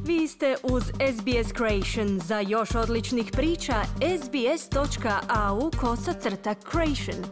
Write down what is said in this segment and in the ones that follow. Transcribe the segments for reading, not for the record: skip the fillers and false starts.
Vi ste uz SBS Creation. Za još odličnih priča, sbs.au/creation.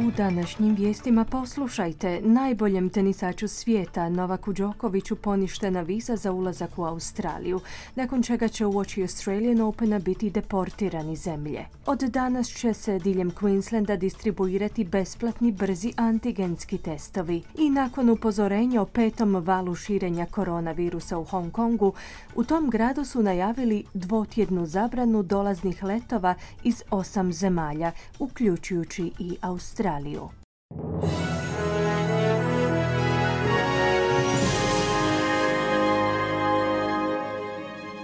U današnjim vijestima poslušajte: najboljem tenisaču svijeta Novaku Đokoviću poništena viza za ulazak u Australiju, nakon čega će uoči Australian Opena biti deportirani zemlje. Od danas će se diljem Queenslanda distribuirati besplatni brzi antigenski testovi. I nakon upozorenja o 5. valu širenja koronavirusa u Hong Kongu, u tom gradu su najavili dvotjednu zabranu dolaznih letova iz 8 zemalja, uključujući i Australiju.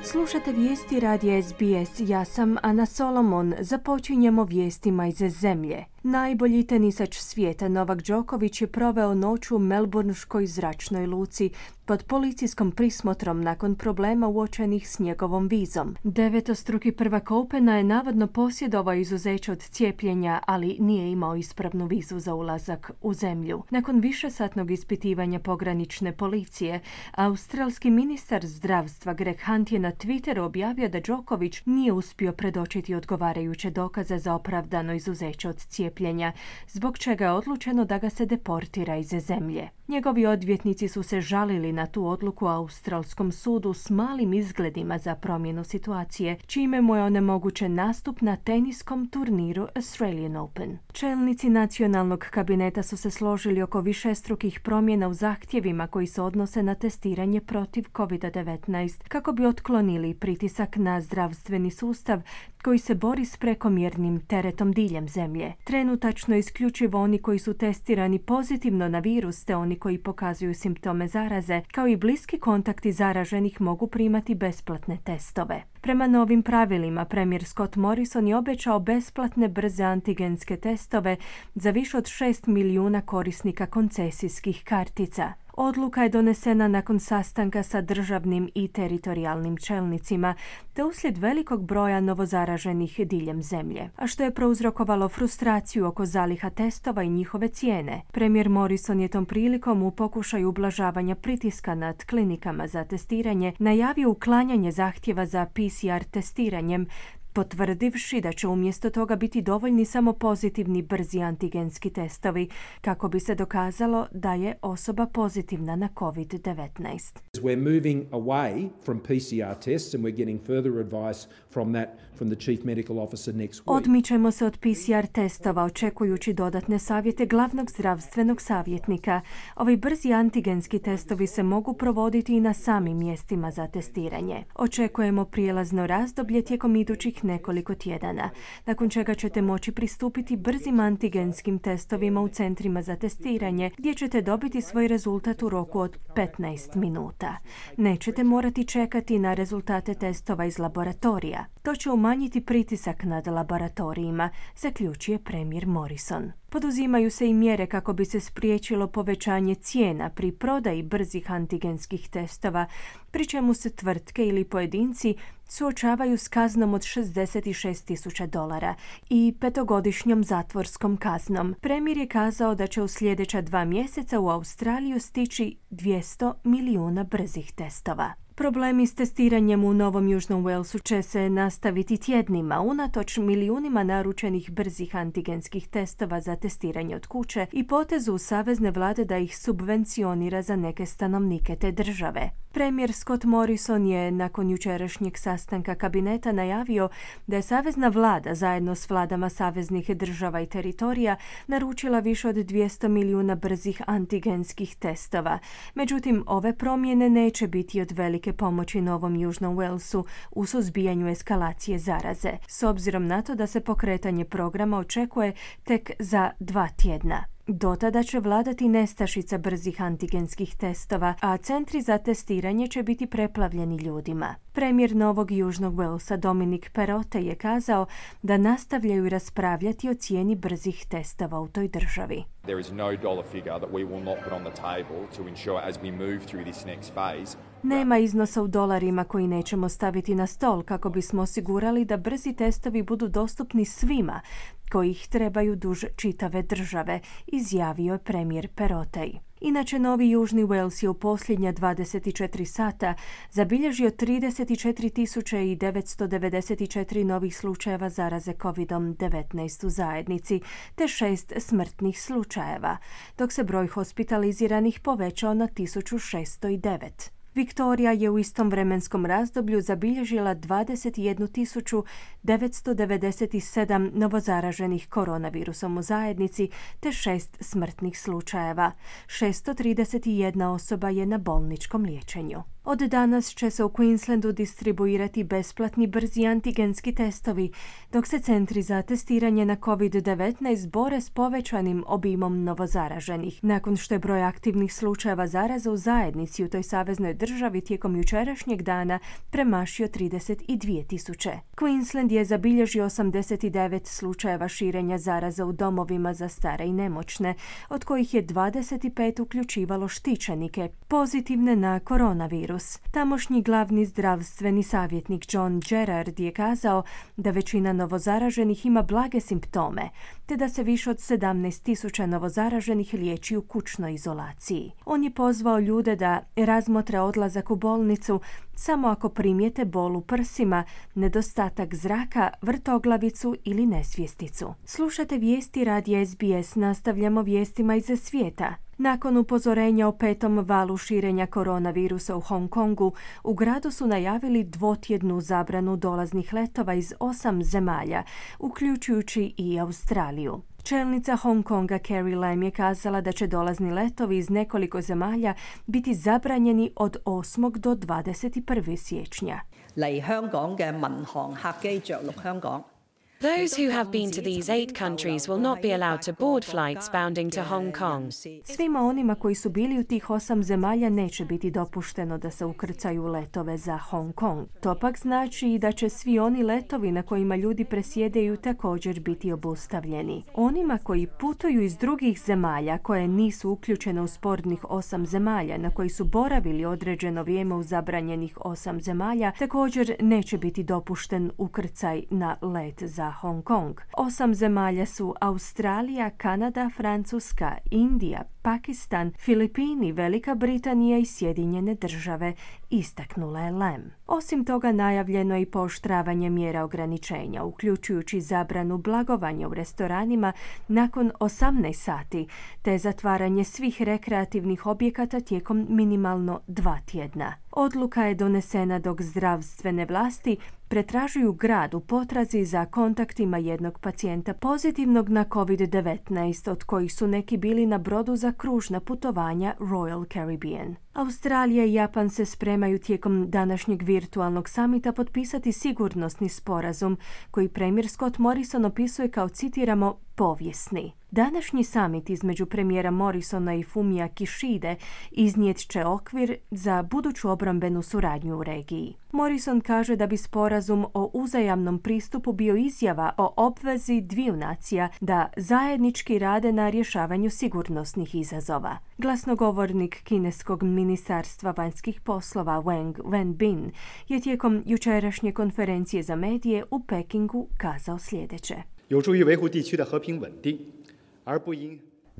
Slušate vijesti radija SBS. Ja sam Ana Solomon. Započinjemo vijestima iz zemlje. Najbolji tenisač svijeta Novak Đoković je proveo noć u melbourneškoj zračnoj luci pod policijskom prismotrom nakon problema uočenih s njegovom vizom. Devetostruki prvak Opena je navodno posjedovao izuzeće od cijepljenja, ali nije imao ispravnu vizu za ulazak u zemlju. Nakon višesatnog ispitivanja pogranične policije, australski ministar zdravstva Greg Hunt je na Twitteru objavio da Đoković nije uspio predočiti odgovarajuće dokaze za opravdano izuzeće od cijepljenja, zbog čega je odlučeno da ga se deportira iz zemlje. Njegovi odvjetnici su se žalili na tu odluku australskom sudu s malim izgledima za promjenu situacije, čime mu je onemogućen nastup na teniskom turniru Australian Open. Čelnici nacionalnog kabineta su se složili oko višestrukih promjena u zahtjevima koji se odnose na testiranje protiv COVID-19 kako bi otklonili pritisak na zdravstveni sustav koji se bori s prekomjernim teretom diljem zemlje. Trenutačno isključivo oni koji su testirani pozitivno na virus te oni koji pokazuju simptome zaraze, kao i bliski kontakti zaraženih mogu primati besplatne testove. Prema novim pravilima, premijer Scott Morrison je obećao besplatne brze antigenske testove za više od 6 milijuna korisnika koncesijskih kartica. Odluka je donesena nakon sastanka sa državnim i teritorijalnim čelnicima, te uslijed velikog broja novozaraženih diljem zemlje, a što je prouzrokovalo frustraciju oko zaliha testova i njihove cijene. Premijer Morrison je tom prilikom u pokušaju ublažavanja pritiska nad klinikama za testiranje najavio uklanjanje zahtjeva za PCR testiranjem, potvrdivši da će umjesto toga biti dovoljni samo pozitivni brzi antigenski testovi kako bi se dokazalo da je osoba pozitivna na COVID-19. We're moving away from PCR tests and we're getting further advice from the Chief Medical Officer next week. Odmičemo se od PCR testova, očekujući dodatne savjete glavnog zdravstvenog savjetnika. Ovi brzi antigenski testovi se mogu provoditi i na samim mjestima za testiranje. Očekujemo prijelazno razdoblje tijekom idućih nekoliko tjedana, nakon čega ćete moći pristupiti brzim antigenskim testovima u centrima za testiranje, gdje ćete dobiti svoj rezultat u roku od 15 minuta. Nećete morati čekati na rezultate testova iz laboratorija. To će umanjiti pritisak nad laboratorijima, zaključuje premijer Morrison. Poduzimaju se i mjere kako bi se spriječilo povećanje cijena pri prodaji brzih antigenskih testova, pri čemu se tvrtke ili pojedinci suočavaju s kaznom od $66,000 i 5-godišnjom zatvorskom kaznom. Premijer je kazao da će u sljedeća 2 mjeseca u Australiju stići 200 milijuna brzih testova. Problemi s testiranjem u Novom Južnom Walesu će se nastaviti tjednima, unatoč milijunima naručenih brzih antigenskih testova za testiranje od kuće i potezu savezne vlade da ih subvencionira za neke stanovnike te države. Premijer Scott Morrison je nakon jučerašnjeg sastanka kabineta najavio da je savezna vlada zajedno s vladama saveznih država i teritorija naručila više od 200 milijuna brzih antigenskih testova. Međutim, ove promjene neće biti od velike pomoći Novom Južnom Walesu u suzbijanju eskalacije zaraze, s obzirom na to da se pokretanje programa očekuje tek za 2 tjedna. Do tada će vladati nestašica brzih antigenskih testova, a centri za testiranje će biti preplavljeni ljudima. Premijer Novog Južnog Walesa Dominic Perrottet je kazao da nastavljaju raspravljati o cijeni brzih testova u toj državi. There is no dollar figure that we will not put on the table to ensure as we move through this next phase. Nema iznosa u dolarima koji nećemo staviti na stol kako bismo osigurali da brzi testovi budu dostupni svima koji ih trebaju duž čitave države, izjavio je premijer Perrottet. Inače, Novi Južni Wales je u posljednja 24 sata zabilježio 34.994 novih slučajeva zaraze COVID-19 u zajednici, te 6 smrtnih slučajeva, dok se broj hospitaliziranih povećao na 1609. Viktorija je u istom vremenskom razdoblju zabilježila 21.997 novozaraženih koronavirusom u zajednici te 6 smrtnih slučajeva. 631 osoba je na bolničkom liječenju. Od danas će se u Queenslandu distribuirati besplatni brzi antigenski testovi, dok se centri za testiranje na COVID-19 bore s povećanim obimom novozaraženih, nakon što je broj aktivnih slučajeva zaraza u zajednici u toj saveznoj državi tijekom jučerašnjeg dana premašio 32.000. Queensland je zabilježio 89 slučajeva širenja zaraza u domovima za stare i nemoćne, od kojih je 25 uključivalo štićenike, pozitivne na koronavirus. Tamošnji glavni zdravstveni savjetnik John Gerard je kazao da većina novozaraženih ima blage simptome, te da se više od 17.000 novozaraženih liječi u kućnoj izolaciji. On je pozvao ljude da razmotre odlazak u bolnicu samo ako primijete bol u prsima, nedostatak zraka, vrtoglavicu ili nesvjesticu. Slušate vijesti radija SBS, nastavljamo vijestima iz svijeta. Nakon upozorenja o 5. valu širenja koronavirusa u Hong Kongu, u gradu su najavili dvotjednu zabranu dolaznih letova iz 8 zemalja, uključujući i Australiju. Čelnica Hong Konga Carrie Lam je kazala da će dolazni letovi iz nekoliko zemalja biti zabranjeni od 8. do 21. siječnja. Those who have been to these 8 countries will not be allowed to board flights bounding to Hong Kong. Svima onima koji su bili u tih 8 zemalja neće biti dopušteno da se ukrcaju u letove za Hong Kong. To pak znači i da će svi oni letovi na kojima ljudi presjedaju također biti obustavljeni. Onima koji putuju iz drugih zemalja koje nisu uključene u spornih 8 zemalja na koji su boravili određeno vrijeme u zabranjenih 8 zemalja također neće biti dopušten ukrcaj na let za Hong Kong. 8 zemalja su Australija, Kanada, Francuska, Indija, Pakistan, Filipini, Velika Britanija i Sjedinjene države, istaknula je Lam. Osim toga, najavljeno je i pooštravanje mjera ograničenja, uključujući zabranu blagovanja u restoranima nakon 18 sati, te zatvaranje svih rekreativnih objekata tijekom minimalno 2 tjedna. Odluka je donesena dok zdravstvene vlasti pretražuju grad u potrazi za kontaktima jednog pacijenta pozitivnog na COVID-19, od kojih su neki bili na brodu za kružna putovanja Royal Caribbean. Australija i Japan se spremaju tijekom današnjeg virtualnog samita potpisati sigurnosni sporazum koji premijer Scott Morrison opisuje kao, citiramo, povijesni. Današnji samit između premijera Morrisona i Fumia Kishide iznijet će okvir za buduću obrambenu suradnju u regiji. Morrison kaže da bi sporazum o uzajamnom pristupu bio izjava o obvezi dviju nacija da zajednički rade na rješavanju sigurnosnih izazova. Glasnogovornik kineskog ministarstva vanjskih poslova Wang Wenbin je tijekom jučerašnje konferencije za medije u Pekingu kazao sljedeće.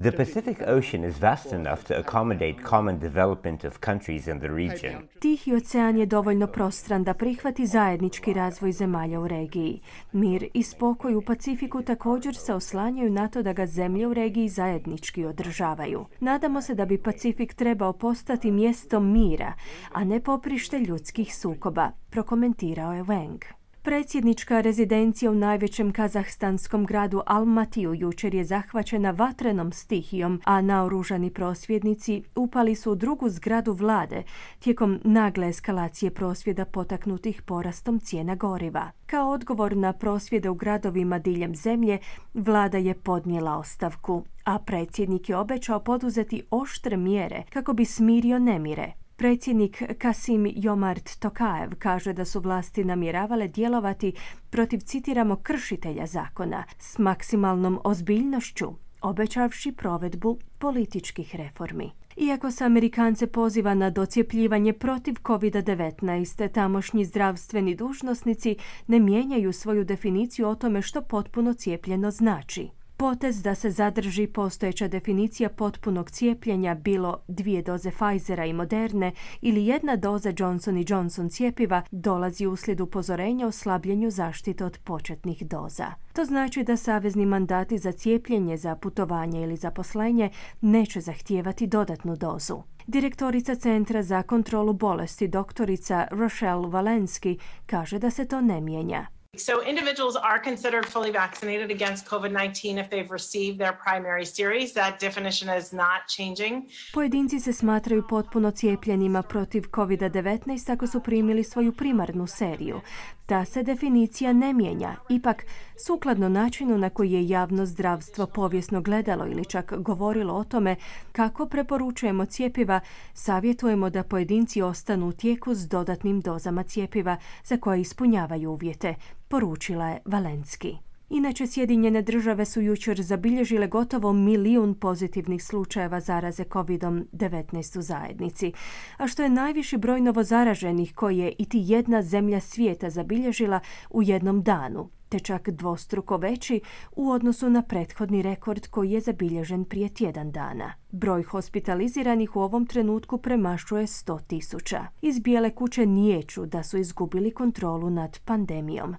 The Pacific Ocean is vast enough to accommodate common development of countries in the region. Tihi ocean je dovoljno prostran da prihvati zajednički razvoj zemalja u regiji. Mir i spokoj u Pacifiku također se oslanjaju na to da ga zemlje u regiji zajednički održavaju. Nadamo se da bi Pacifik trebao postati mjestom mira, a ne poprište ljudskih sukoba, prokomentirao je Wang. Predsjednička rezidencija u najvećem kazahstanskom gradu Almatiju jučer je zahvaćena vatrenom stihijom, a naoružani prosvjednici upali su u drugu zgradu vlade tijekom nagle eskalacije prosvjeda potaknutih porastom cijena goriva. Kao odgovor na prosvjede u gradovima diljem zemlje, vlada je podnijela ostavku, a predsjednik je obećao poduzeti oštre mjere kako bi smirio nemire. Predsjednik Kasim Jomart Tokajev kaže da su vlasti namjeravale djelovati protiv, citiramo, kršitelja zakona s maksimalnom ozbiljnošću, obećavši provedbu političkih reformi. Iako se Amerikance poziva na docjepljivanje protiv COVID-19, tamošnji zdravstveni dužnosnici ne mijenjaju svoju definiciju o tome što potpuno cijepljeno znači. Potez da se zadrži postojeća definicija potpunog cijepljenja, bilo 2 doze Pfizera i Moderne ili 1 doza Johnson & Johnson cjepiva, dolazi uslijed upozorenja o slabljenju zaštite od početnih doza. To znači da savezni mandati za cijepljenje, za putovanje ili zaposlenje neće zahtijevati dodatnu dozu. Direktorica Centra za kontrolu bolesti, doktorica Rochelle Walensky, kaže da se to ne mijenja. So individuals are considered fully vaccinated against COVID-19 if they've received their primary series. That definition is not changing. Pojedinci se smatraju potpuno cijepljenima protiv COVID-19 ako su primili svoju primarnu seriju. Ta se definicija ne mijenja. Ipak, sukladno načinu na koji je javno zdravstvo povijesno gledalo ili čak govorilo o tome kako preporučujemo cjepiva, savjetujemo da pojedinci ostanu u tijeku s dodatnim dozama cjepiva za koje ispunjavaju uvjete, poručila je Walensky. Inače, Sjedinjene države su jučer zabilježile gotovo 1 milijun pozitivnih slučajeva zaraze COVID-19 u zajednici, a što je najviši broj novozaraženih koji je iti jedna zemlja svijeta zabilježila u jednom danu, te čak dvostruko veći u odnosu na prethodni rekord koji je zabilježen prije tjedan dana. Broj hospitaliziranih u ovom trenutku premašuje 100.000. Iz Bijele kuće niječu da su izgubili kontrolu nad pandemijom.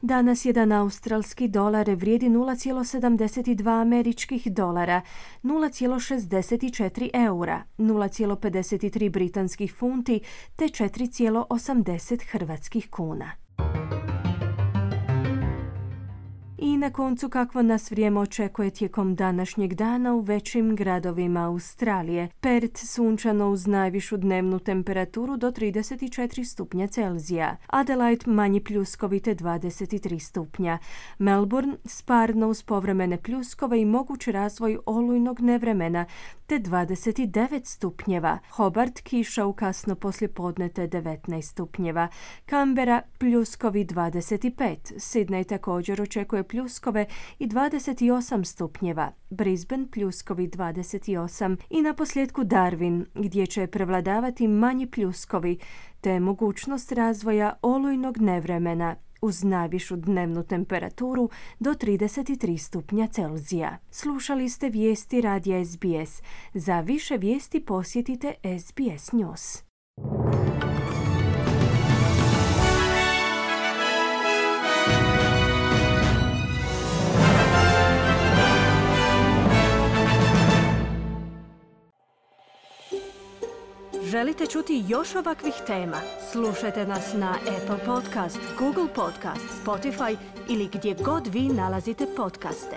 Danas jedan australski dolar vrijedi 0,72 američkih dolara, 0,64 eura, 0,53 britanskih funti te 4,80 hrvatskih kuna. I na koncu, kakvo nas vrijeme očekuje tijekom današnjeg dana u većim gradovima Australije. Perth sunčano uz najvišu dnevnu temperaturu do 34 stupnja Celzija. Adelaide manji pljuskovi te 23 stupnja. Melbourne sparno uz povremene pljuskove i moguć razvoj olujnog nevremena te 29 stupnjeva. Hobart kiša u kasno poslijepodne te 19 stupnjeva. Canberra pljuskovi 25. Sydney također očekuje pljuskove i 28 stupnjeva. Brisbane pljuskovi 28 i na posljedku Darwin gdje će prevladavati manji pljuskovi te mogućnost razvoja olujnog nevremena uz najvišu dnevnu temperaturu do 33 stupnja Celzija. Slušali ste vijesti radija SBS. Za više vijesti posjetite SBS News. Želite čuti još ovakvih tema? Slušajte nas na Apple Podcast, Google Podcast, Spotify ili gdje god vi nalazite podcaste.